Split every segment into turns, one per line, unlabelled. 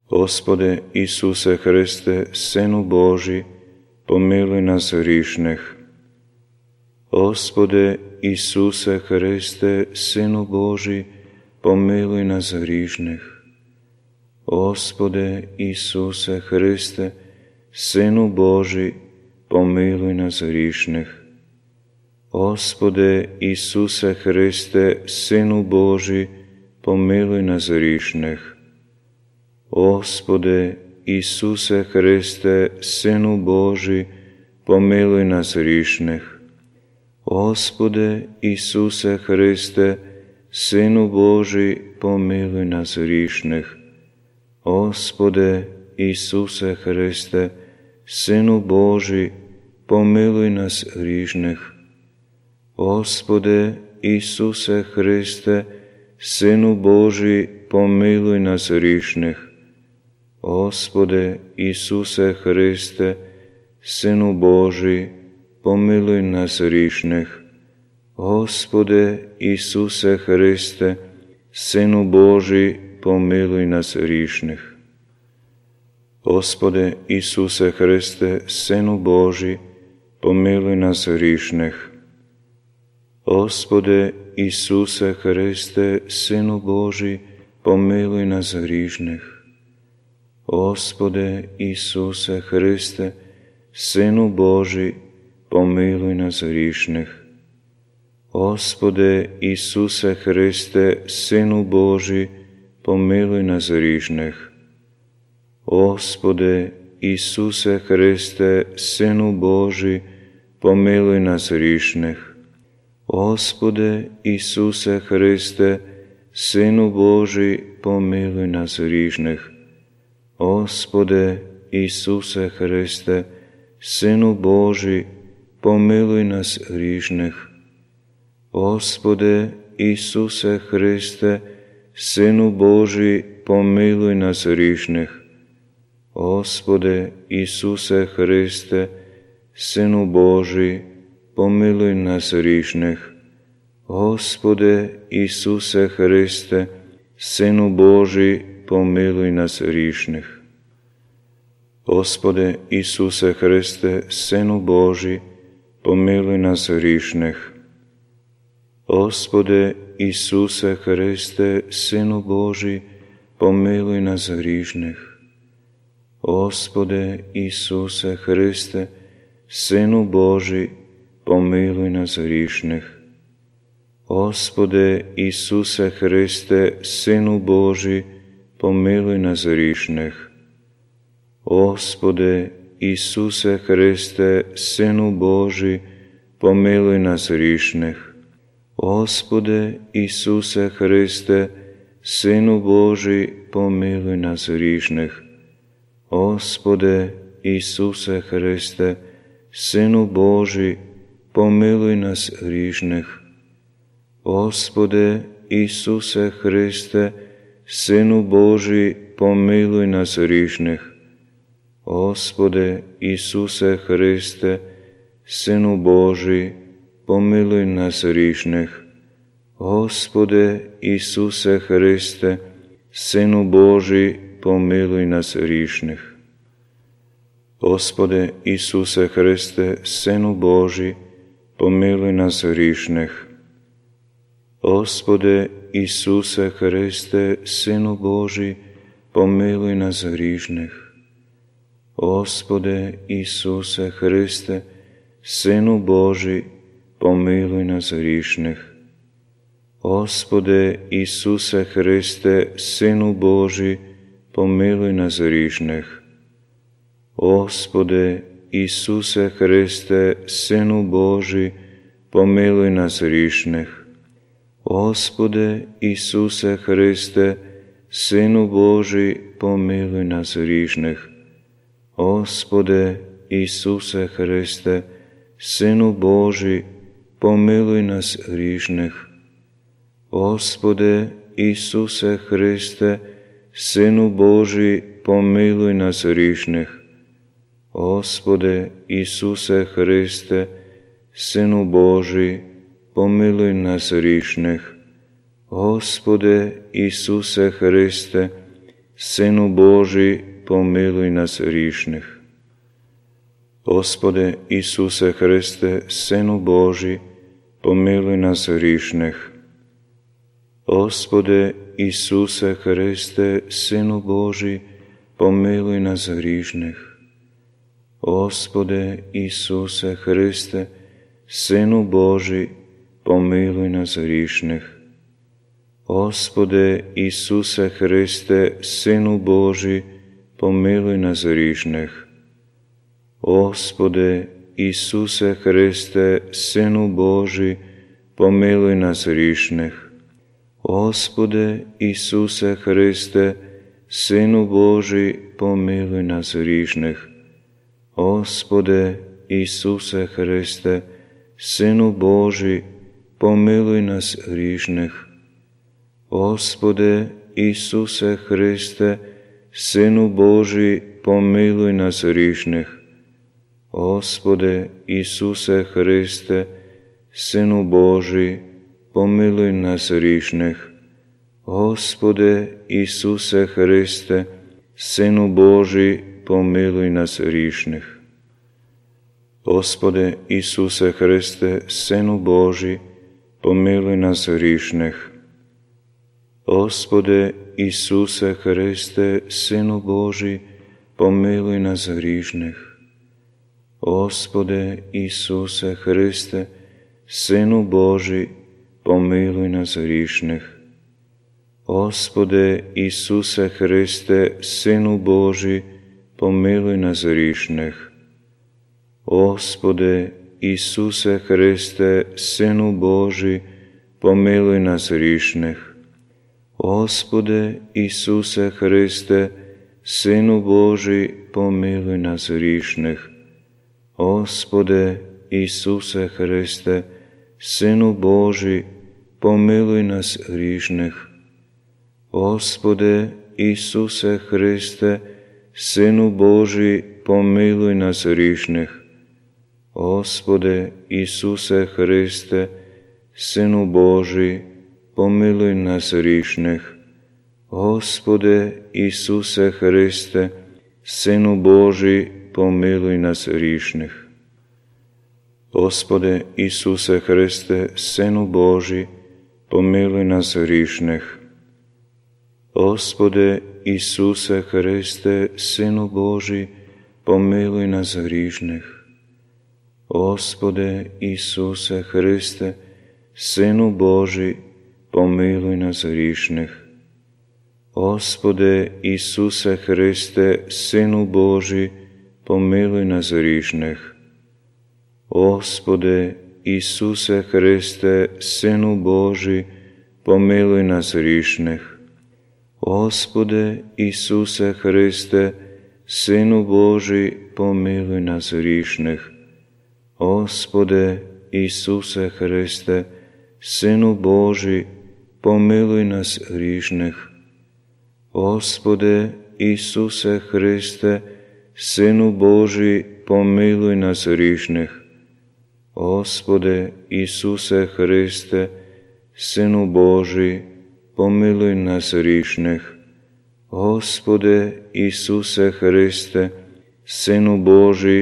Господи Ісусе Христе, Сину Божий, помилуй нас грішних. Господи Ісусе Христе, Сину Божий, помилуй нас грішних. Господи Ісусе Христе, Сину Божий, помилуй нас грішних. Господи Ісусе Христе, Сину Божий, помилуй нас грішних. Господи Ісусе Христе, Сину Божий, помилуй нас грішних. Господи Ісусе Христе, Сину Божий, помилуй нас грішних. Господи Ісусе Христе, Сину Божий, помилуй нас грішних. Господи Ісусе Христе, Сину Божий, помилуй нас грішних. Господи Ісусе Христе, Сину Божий, помилуй нас грішних. Господи Ісусе Христе, Сину Божий, помилуй нас грішних. Господи Ісусе Христе, Сину Божий, помилуй нас грішних. Господи Ісусе Христе, Сину Божий, помилуй нас грішних. Господи Ісусе Христе, Сину Божий, помилуй нас грішних. Господи Ісусе Христе, Сину Божий, помилуй нас грішних. Господи Ісусе Христе, Сину Божий, помилуй нас грішних. Господи Ісусе Христе, Сину Божий, помилуй нас грішних. Господи Ісусе Христе, Сину Божий, помилуй нас грішних. Господи Ісусе Христе, Сину Божий, помилуй нас грішних. Господи Ісусе Христе, Сину Божий, помилуй нас грішних. Господи Ісусе Христе, Сину Божий, помилуй нас грішних. Господи Ісусе Христе, Сину Божий, помилуй нас грішних. Господи Ісусе Христе, Сину Божий, помилуй нас грішних. Господи Ісусе Христе, Сину Божий, помилуй нас грішних. Господи Ісусе Христе, Сину Божий, помилуй нас грішних. Господи Ісусе Христе, Сину Божий, помилуй нас грішних. Господи Ісусе Христе, Сину Божий, помилуй нас грішних. Господи Ісусе Христе, Сину Божий, помилуй нас грішних. Господи Ісусе Христе, Сину Божий, помилуй нас грішних. Господи Ісусе Христе, Сину Божий, помилуй нас грішних. Господи Ісусе Христе, Сину Божий, помилуй нас грішних. Господи Ісусе Христе, Сину Божий, помилуй нас грішних. Господи Ісусе Христе, Сину Божий, помилуй нас грішних. Господи Ісусе Христе, Сину Божий, помилуй нас грішних. Господи Ісусе Христе, Сину Божий, помилуй нас грішних. Господи Ісусе Христе, Сину Божий, помилуй нас грішних. Господи Ісусе Христе, Сину Божий, помилуй нас грішних. Господи Ісусе Христе, Сину Божий, помилуй нас грішних. Господи Ісусе Христе, Сину Божий, помилуй нас грішних. Господи Ісусе Христе, Сину Божий, помилуй нас грішних. Господи Ісусе Христе, Sinu Boží, pomiluj nás hříšnych. Gospode Isuse Hriste, Synu Boží, pomiluj nás hříšnych. Gospode Isuse Hriste, Synu Boží, pomiluj nás hříšnych. Gospode Isuse Hriste, Synu Boží, pomiluj nás hříšnych. Gospode Isuse Hriste, Synu Boží, pomiluj nás hříšnych. Gospode Isuse Hriste, Synu Boží, pomiluj nás hříšnych. Gospode Isuse Hriste, Synu Boží, pomiluj nás hříšnych. Gospode Isuse Hriste, Synu Boží, pomiluj nás hříšnych. Gospode Isuse Hriste, Synu Boží, pomiluj nás hříšnych. Gospode Isuse Hriste, Synu Boží, pomiluj nás hříšnych. Gospode Isuse Hriste, Synu Boží, pomiluj nás hříšnych. Gospode Isuse Hriste, Synu Boží, pomiluj nás hříšnych. Gospode Isuse Hriste, Synu Boží, pomiluj nás hříšnych. Gospode Isuse Hriste, Synu Boží, pomiluj nás hříšnych. Gospode Isuse Hriste, Synu Boží, pomiluj nás hříšnych. Gospode Isuse Hriste, Synu Boží, pomiluj nás hříšnych. Gospode Isuse Hriste, Synu Boží, pomiluj nás hříšnych. Gospode Isuse Hriste, Synu Boží, pomiluj nás hříšných. Gospode Isuse Hriste, Synu Boží, pomiluj nás hříšných. Gospode Isuse Hriste, Synu Boží, pomiluj nás hříšných. Gospode Isuse Hriste, Synu Boží, pomiluj nás hříšných. Gospode Isuse Hriste, Synu Boží, pomiluj nás hříšných. Gospode Isuse Hriste, Synu Boží, pomiluj nás hříšných. Gospode Isuse Hriste, Synu Boží, pomiluj nás hříšných. Gospode Isuse Hriste, Synu Boží, pomiluj nás hříšných. Gospode Isuse Hriste, Synu Boží, pomiluj nás hříšných. Gospode Isuse Hriste, Synu Boží, pomiluj nás hříšných. Gospode Isuse Hriste, Synu Boží, pomiluj nás hříšných. Gospode Isuse Hriste, Synu Boží, pomiluj nás hříšných. Gospode Isuse Hriste, Synu Boží, pomiluj nás hříšných. Gospode Isuse Hriste, Synu Boží,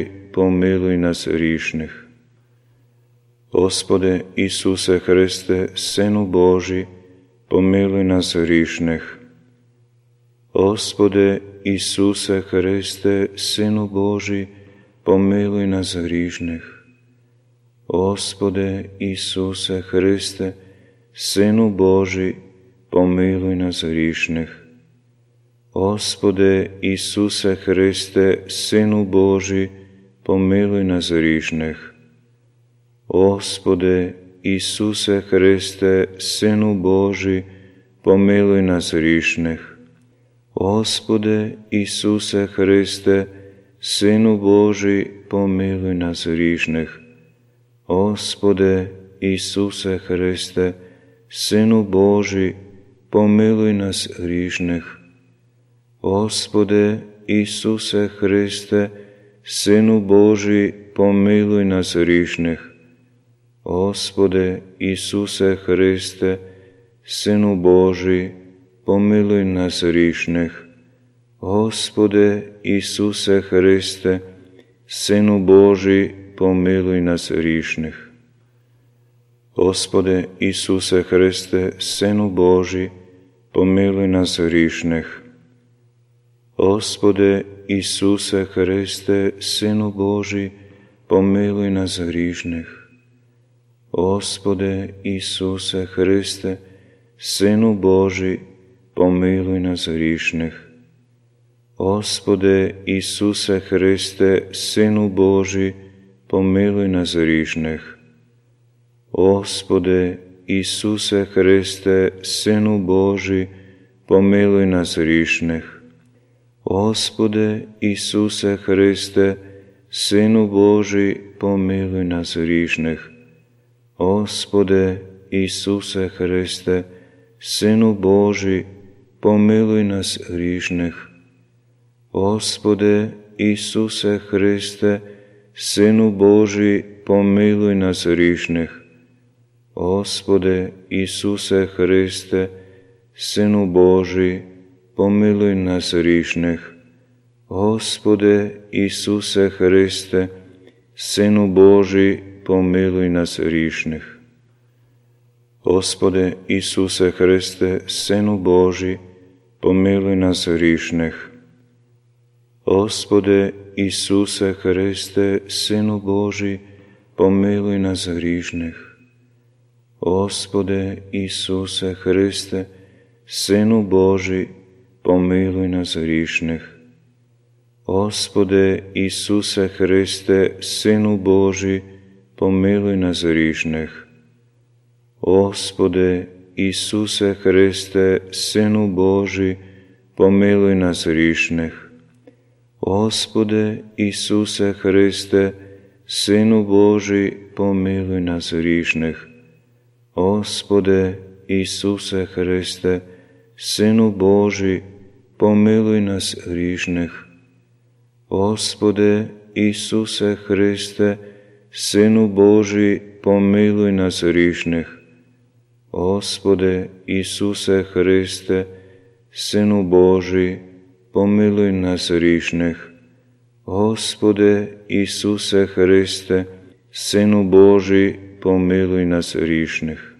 pomiluj nás hříšných. Gospode Isuse Hriste, Synu Boží, pomiluj nás hříšných. Gospode Isuse Hriste, Synu Boží, pomiluj nás hříšných. Gospode Isuse Hriste, Synu Boží, pomiluj nás hříšných. Gospode Isuse Hriste, Synu Boží, pomiluj nás hříšných. Gospode Isuse Hriste, Synu Boží, pomiluj nás hříšných. Gospode Isuse Hriste, Synu Boží, pomiluj nás hříšných. Gospode Isuse Hriste, Synu Boží, pomiluj nás hříšných. Gospode Isuse Hriste, Synu Boží, pomiluj nás hříšných. Gospode Isuse Hriste, Synu Boží, pomiluj nás hříšných. Господи Ісусе Христе, Сину Божий, помилуй нас грішних. Господи Ісусе Христе, Сину Божий, помилуй нас грішних. Господи Ісусе Христе, Сину Божий, помилуй нас грішних. Господи Ісусе Христе, Сину Божий, помилуй нас грішних. Господи Ісусе Христе, Сину Божий, помилуй нас грішних. Господи Ісусе Христе, Сину Божий, помилуй нас грішних. Господи Ісусе Христе, Сину Божий, помилуй нас грішних. Господи Ісусе Христе, Сину Божий, помилуй нас грішних. Господи Ісусе Христе, Сину Божий, помилуй нас грішних. Господи Ісусе Христе, Сину Божий, помилуй нас грішних. Господи Ісусе Христе, Сину Божий, помилуй нас грішних. Господи Ісусе Христе, Сину Божий, помилуй нас грішних. Господи Ісусе Христе, Сину Божий, помилуй нас грішних. Господи Ісусе Христе, Сину Божий, помилуй нас грішних. Господи Ісусе Христе, Сину Божий, помилуй нас грішних. Господи Ісусе Христе, Сину Божий, помилуй нас грішних. Господи Ісусе Христе, Сину Божий, помилуй нас грішних. Господи Ісусе Христе, Сину Божий, помилуй нас грішних. Господи Ісусе Христе, Сину Божий, помилуй нас грішних. Господи Ісусе Христе, Сину Божий, помилуй нас грішних. Господи Ісусе Христе, Сину Божий, помилуй нас грішних.